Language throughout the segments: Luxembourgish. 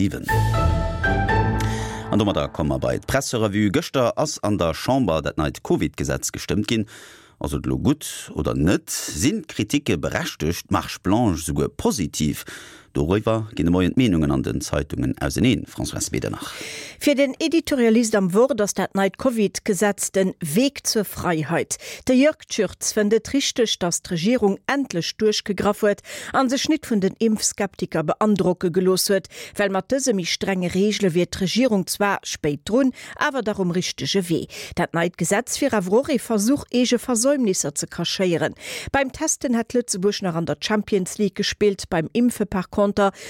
7. An domadder komme mer bei d'Presserevue. Gëschter ass an der Chamber dat neit Covid-Gesetz gestëmmt ginn. Ass et elo gutt oder net? Sinn d'Kritike berechtegt, d'Marche blanche souguer positiv? Doriwwer ginn de Moien d'Meenungen an den Zeitungen auseneen. Françoise Medernach. Fir den Editorialist am Wort ass dat neit Covid-Gesetz den Weg zur Freiheit. De Jörg Tschürtz fënnt et richteg, datt d'Regierung endlech duerchgegraff huet an sech nit vun den Impfskeptiker beandrocke gelooss huet, well mat dëse méi strenge Reegele wier d'Regierung zwar spéit drun, awer dach um richtege Wee. Dat neit Gesetz wier awer och ee Versuch, eege Versäumnisser ze cachéieren. Beim Testen hätt Lëtzebuerg nach an der Champions League gespillt, beim Impfe par conter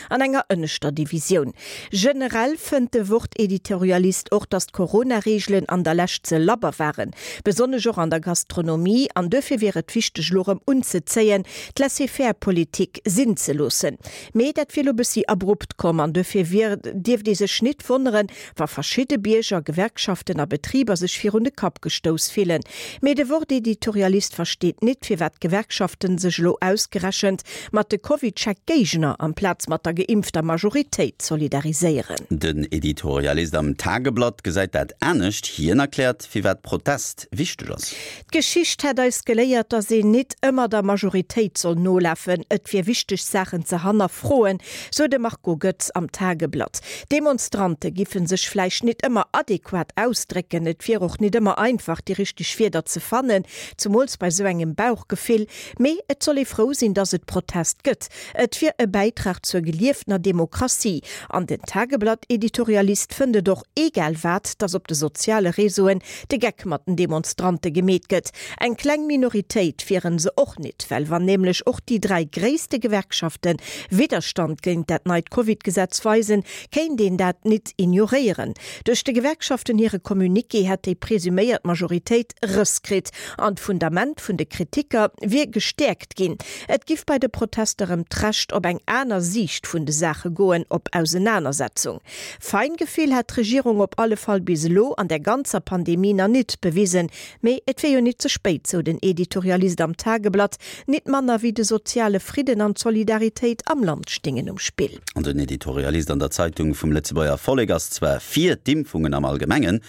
an enger ënneschter Divisioun. Generell fënnt de Wort-Editorialist och, datt d'Corona-Reegelen an der Lescht ze labber waren, besonnesch och an der Gastronomie, an duerfir wier et wichteg elo erëm unzezéien, d'Laissez-faire-Politik sinn ze loossen. Mee dat wier elo bëssi abrupt komm an duerfir wier dierft ee sech nit wonneren, wa verschidde Bierger, Gewerkschaften a Betriber sech virun de Kapp gestouss fillen. Mee de Wort-Editorialist versteet nit, firwat d'Gewerkschaften sech elo ausgerechent mat de CovidCheck-Géigner amplaz mat der geimpfter Majoritéit solidariséieren. Den Editorialist am Tageblatt gesäit dat anescht. Hien erkläert, firwat Protest wichteg ass. D'Geschicht hätt eis geléiert, datt een nit ëmmer der Majoritéit soll nolafen. Et wier wichteg Saachen ze hannerfroen, sou de Marco Goetz am Tageblatt. D'Demonstrante giffe sech vläicht nit ëmmer adequat ausdrécken. Et wier och nit ëmmer einfach déi richteg Wierder ze fannen, zemools bei sou engem Bauchgefill. Mee et soll ee frou sinn, datt et Protest gëtt. Et wier e Bäitrag zur gelieftener Demokratie. An den Tageblatt-Editorialist fënnt et och egal wat, datt op de soziale Réseauen de Geck mat den Demonstrante gemeet gëtt. Eng kleng Minoritéit wieren se och nit, well wann nämlech och déi 3 gréisste Gewerkschafte Widderstand géint dat neit Covid-Gesetz weisen, kéint een dat nit ignoréieren. Duerch de Gewerkschaften hire Communiqué hätt déi presuméiert Majoritéit Rëss kritt an d'Fundament vun de Kritiker wier gestäerkt ginn. Et giff bei de Protester ëm d'Recht op eng aner Siicht vun de Saache goen, op Ausenanersetzung. Feingefill hätt d'Regierung op alle Fall bis elo an der ganzer Pandemie na nit bewisen. Mee et wier jo nit ze spéit, sou den Editorialist am Tageblatt. Nit manner wéi de soziale Fridden an d'Solidaritéit am Land stingen um Spill. An den Editorialist an der Zeitung vum Lëtzebuerger Vollek ass zwar fir d'Impfungen am Allgemengen,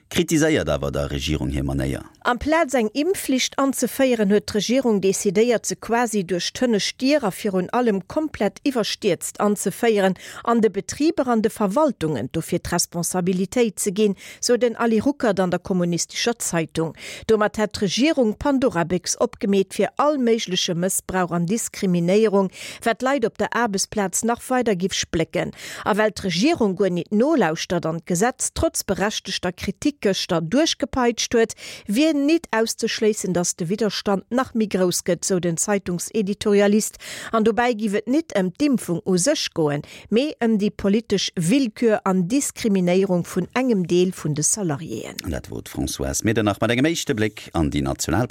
kritiséiert awer der Regierung hir Manéier. Amplaz eng Impfflicht anzeféieren, huet d'Regierung decidéiert, se quasi duerch d'hënnescht Dier a virun allem komplett iwwerstierzt anzeféieren an de Betriber an de Verwaltungen dofir d'Responsabilitéit ze ginn, sou den Ali Ruckert an der Kommunistescher Zeitung. Domat hätt d'Regierung d'Pandorabéchs opgemeet fir all méigleche Mëssbrauch an Diskriminéierung, wat d'Leit op der Aarbechtsplaz nach weider giff splécken. A well d'Regierung guer nit nolauschtert an d'Gesetz trotz berechtegter Kritik gëschter duerchgepeitscht huet, wier nit auszeschléissen, datt de Widderstand nach méi grouss gëtt, sou den Zeitungseditorialist. An dobäi giff et nit ëm d'Impfung u sech goen, mee ëm déi politesch Willkür an Diskriminéierung vun engem Deel vun de Salariéen. An dat wor d'Françoise Medernach mat engem éischte Bléck an déi national Press.